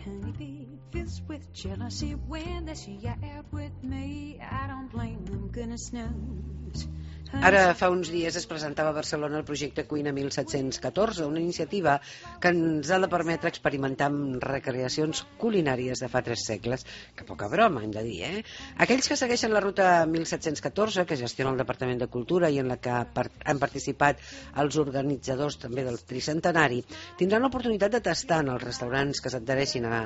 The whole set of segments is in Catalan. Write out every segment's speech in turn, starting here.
honeybee fills with jealousy when they see you out with me. I don't blame them, goodness knows. Ara, fa uns dies es presentava a Barcelona el projecte Cuina 1714, una iniciativa que ens ha de permetre experimentar amb recreacions culinàries de fa 3 segles, que poca broma, hem de dir, eh? Aquells que segueixen la ruta 1714, que gestiona el Departament de Cultura i en la que han participat els organitzadors també del tricentenari, tindran l'oportunitat de tastar en els restaurants que s'adhereixin a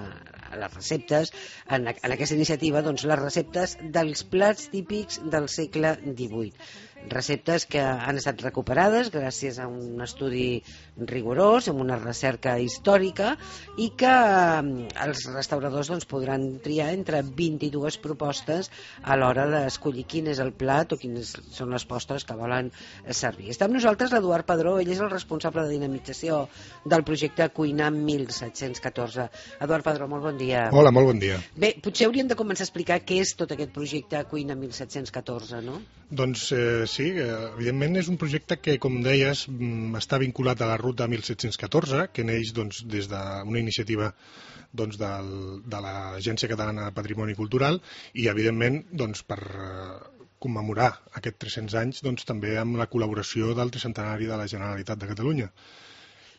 les receptes, en aquesta iniciativa, doncs, les receptes dels plats típics del segle XVIII. Receptes que han estat recuperades gràcies a un estudi rigorós, amb una recerca històrica, i que els restauradors doncs, podran triar entre 22 propostes a l'hora d'escollir quin és el plat o quines són les postres que volen servir. Està amb nosaltres l'Eduard Padró, ell és el responsable de dinamització del projecte Cuina 1714. Eduard Padró, molt bon dia. Hola, molt bon dia. Bé, potser hauríem de començar a explicar què és tot aquest projecte Cuina 1714, no? Doncs sí, evidentment és un projecte que, com deies, està vinculat a la ruta 1714, que neix doncs, des d'una iniciativa doncs, de l'Agència Catalana de Patrimoni Cultural i, evidentment, doncs, per commemorar aquests 300 anys doncs, també amb la col·laboració del tricentenari de la Generalitat de Catalunya.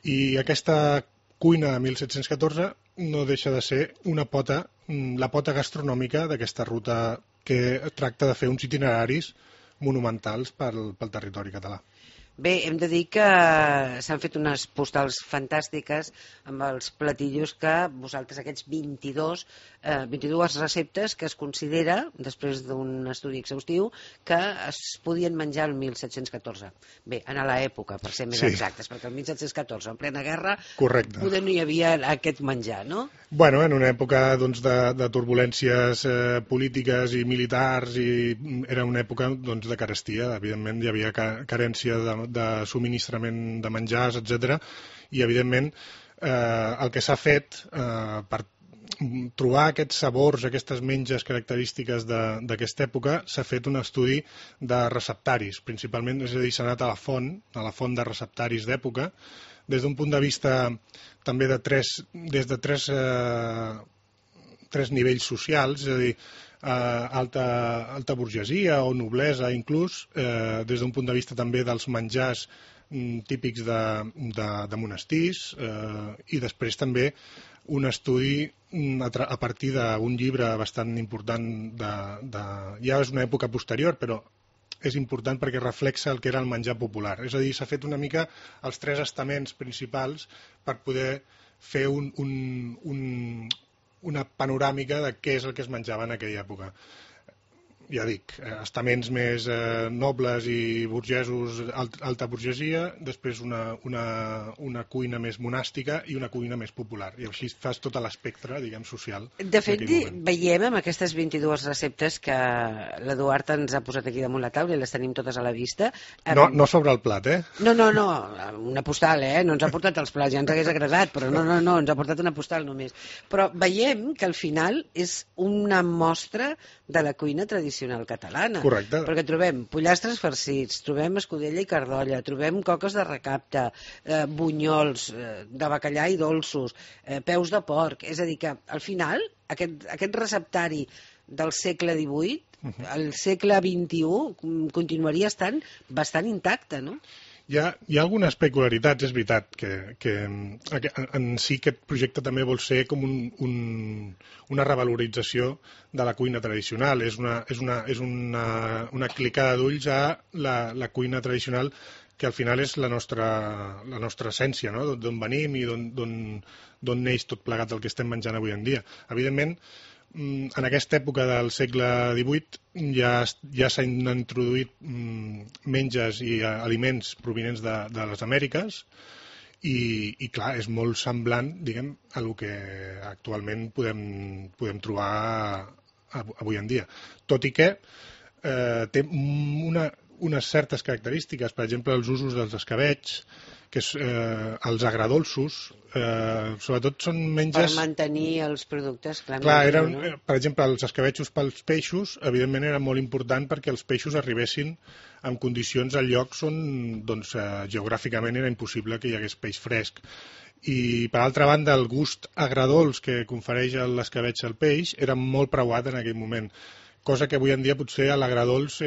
I aquesta Cuina 1714 no deixa de ser la pota gastronòmica d'aquesta ruta que tracta de fer uns itineraris monumentals pel territori català. Bé, hem de dir que s'han fet unes postals fantàstiques amb els platillos que vosaltres, aquests 22 receptes que es considera, després d'un estudi exhaustiu, que es podien menjar el 1714. Bé, en l'època, per ser més exactes, perquè el 1714, en plena guerra, poder no hi havia aquest menjar, no? Bueno, en una època doncs, de turbulències polítiques i militars, i era una època doncs, de carestia, evidentment hi havia carència de subministrament de menjars, etc. I, evidentment, el que s'ha fet per trobar aquests sabors, aquestes menges característiques d'aquesta època, s'ha fet un estudi de receptaris, principalment, és a dir, s'ha anat a la font de receptaris d'època, des d'un punt de vista també des de tres nivells socials, és a dir, alta burgesia o noblesa inclús, des d'un punt de vista també dels menjars típics de monestirs, i després també un estudi a partir d'un llibre bastant important, ja és una època posterior, però és important perquè reflexa el que era el menjar popular. És a dir, s'ha fet una mica els 3 estaments principals per poder fer una panoràmica de què és el que es menjava en aquella època. Ja dic, estaments més nobles i burgesos, alta burgesia, després una cuina més monàstica i una cuina més popular. I així fas tot l'espectre, diguem, social. De fet, veiem amb aquestes 22 receptes que l'Eduard ens ha posat aquí damunt la taula i les tenim totes a la vista. No sobre el plat, eh? No, una postal, no ens ha portat els plats, ja ens hagués agradat, però no, ens ha portat una postal només. Però veiem que al final és una mostra de la cuina tradicional catalana. Correcte. Perquè trobem pollastres farcits, trobem escudella i cardolla, trobem coques de recapte, bunyols de bacallà i dolços, peus de porc. És a dir que al final aquest receptari del segle XVIII, el segle XXI continuaria estant bastant intacte, no? Hi ha algunes peculiaritats, és veritat, que en si aquest projecte també vol ser com una revalorització de la cuina tradicional. És una clicada d'ulls a la cuina tradicional, que al final és la nostra essència, no? D'on venim i d'on neix tot plegat el que estem menjant avui en dia. Evidentment, en aquesta època del segle XVIII ja s'han introduït menges i aliments provinents de les Amèriques i clar, és molt semblant, diguem, a el que actualment podem trobar avui en dia. Tot i que té unes certes característiques, per exemple, els usos dels escabetx, que els agradolços, sobretot són menges... Per mantenir els productes, clar, per exemple, els escabetxos pels peixos, evidentment era molt important perquè els peixos arribessin en condicions a llocs on geogràficament era impossible que hi hagués peix fresc. I, per altra banda, el gust agradolç que confereix l'escabetx al peix era molt preuat en aquell moment, cosa que avui en dia potser a l'agradolç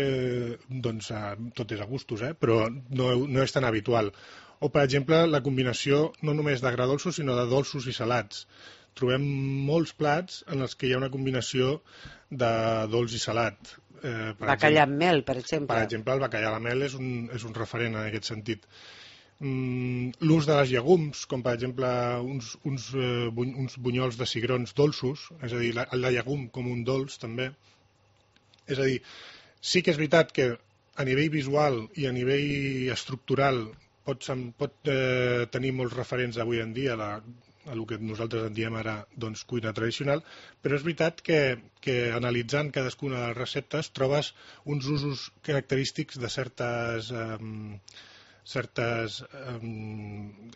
doncs, tot és a gustos, però no és tan habitual. O, per exemple, la combinació no només d'agradolços, sinó de dolços i salats. Trobem molts plats en els que hi ha una combinació de dolç i salat. Bacallà amb mel, per exemple. Per exemple, el bacallà amb mel és un referent en aquest sentit. L'ús de les llegums, com per exemple uns bunyols de cigrons dolços, és a dir, el de llegum com un dolç també. És a dir, sí que és veritat que a nivell visual i a nivell estructural pot tenir molts referents avui en dia a el que nosaltres en diem ara doncs, cuina tradicional, però és veritat que analitzant cadascuna de les receptes trobes uns usos característics de certes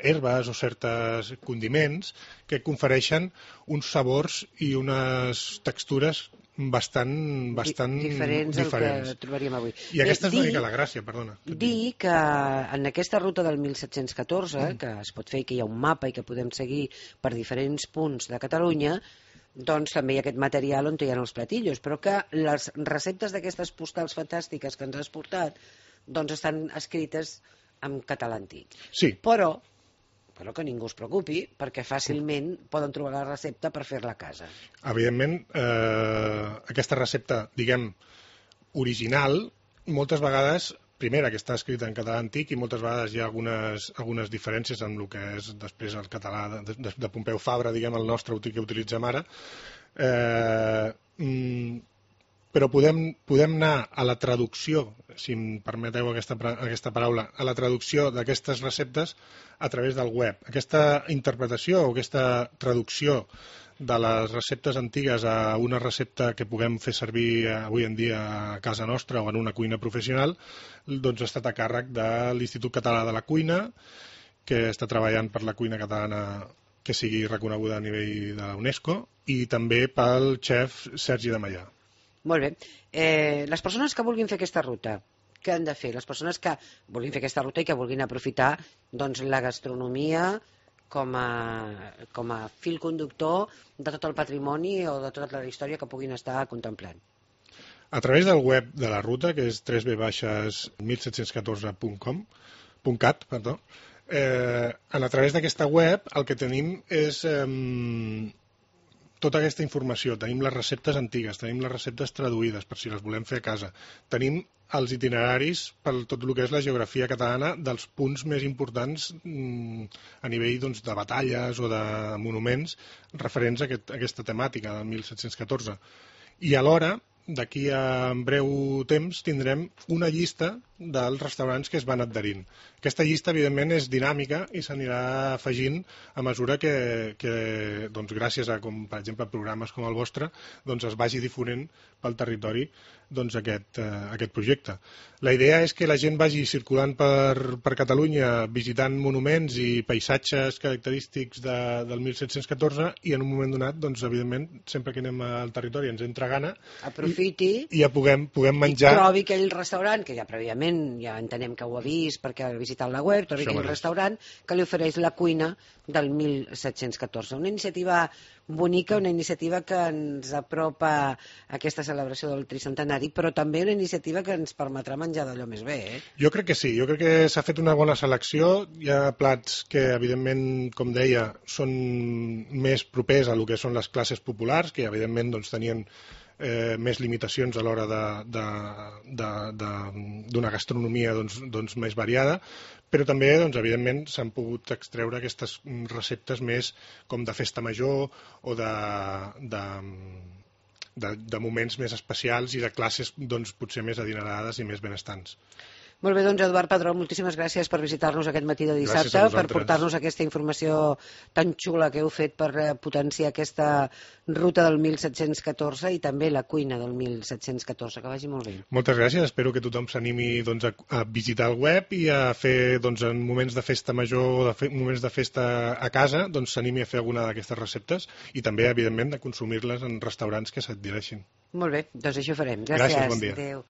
herbes o certes condiments que confereixen uns sabors i unes textures bastant diferents del que trobaríem avui. I aquesta és una mica la gràcia, perdona. Dir que en aquesta ruta del 1714, que es pot fer i que hi ha un mapa i que podem seguir per diferents punts de Catalunya, doncs també hi ha aquest material on hi ha els platillos, però que les receptes d'aquestes postals fantàstiques que ens has portat doncs estan escrites en català antic. Sí. Però que ningú es preocupi, perquè fàcilment poden trobar la recepta per fer-la a casa. Evidentment, aquesta recepta, diguem, original, moltes vegades, primera, que està escrita en català antic, i moltes vegades hi ha algunes diferències amb el que és després el català de Pompeu Fabra, diguem, el nostre que utilitzem ara, però podem anar a la traducció, si em permeteu aquesta paraula, a la traducció d'aquestes receptes a través del web. Aquesta interpretació o aquesta traducció de les receptes antigues a una recepta que puguem fer servir avui en dia a casa nostra o en una cuina professional, doncs ha estat a càrrec de l'Institut Català de la Cuina, que està treballant per la cuina catalana que sigui reconeguda a nivell de la UNESCO, i també pel xef Sergi de Maià. Molt bé. Les persones que vulguin fer aquesta ruta, què han de fer? Les persones que vulguin fer aquesta ruta i que vulguin aprofitar doncs, la gastronomia com a fil conductor de tot el patrimoni o de tota la història que puguin estar contemplant. A través del web de la ruta, que és www.1714.cat, a través d'aquesta web el que tenim és tota aquesta informació. Tenim les receptes antigues, tenim les receptes traduïdes per si les volem fer a casa. Tenim els itineraris per tot el que és la geografia catalana dels punts més importants a nivell doncs, de batalles o de monuments referents a aquesta temàtica del 1714. I alhora, d'aquí a breu temps, tindrem una llista dels restaurants que es van adherint. Aquesta llista, evidentment, és dinàmica i s'anirà afegint a mesura que doncs, gràcies a, com, per exemple, programes com el vostre, doncs, es vagi difonent pel territori doncs, aquest projecte. La idea és que la gent vagi circulant per Catalunya visitant monuments i paisatges característics del 1714 i en un moment donat, doncs, evidentment, sempre que anem al territori ens entra gana aprofiti i ja puguem menjar. I trobi aquell restaurant, que ja prèviament ja entenem que ho ha vist perquè ha visitat la web, trobi aquell restaurant que li ofereix la cuina del 1714. Una iniciativa bonica, una iniciativa que ens apropa a aquesta celebració del tricentenari, però també una iniciativa que ens permetrà menjar d'allò més bé. Jo crec que sí, jo crec que s'ha fet una bona selecció. Hi ha plats que, evidentment, com deia, són més propers a lo que són les classes populars, que, evidentment, doncs, tenien més limitacions a l'hora d'una gastronomia doncs, més variada, però també, doncs, evidentment, s'han pogut extreure aquestes receptes més com de festa major o de moments més especials i de classes doncs, potser més adinerades i més benestants. Molt bé, doncs, Eduard Padró, moltíssimes gràcies per visitar-nos aquest matí de dissabte, per portar-nos aquesta informació tan xula que heu fet per potenciar aquesta ruta del 1714 i també la cuina del 1714. Que vagi molt bé. Moltes gràcies, espero que tothom s'animi doncs, a visitar el web i a fer doncs, en moments de festa major o moments de festa a casa, doncs s'animi a fer alguna d'aquestes receptes i també, evidentment, de consumir-les en restaurants que s'adhereixin. Molt bé, doncs això farem. Gràcies. Gràcies, bon dia. Adéu.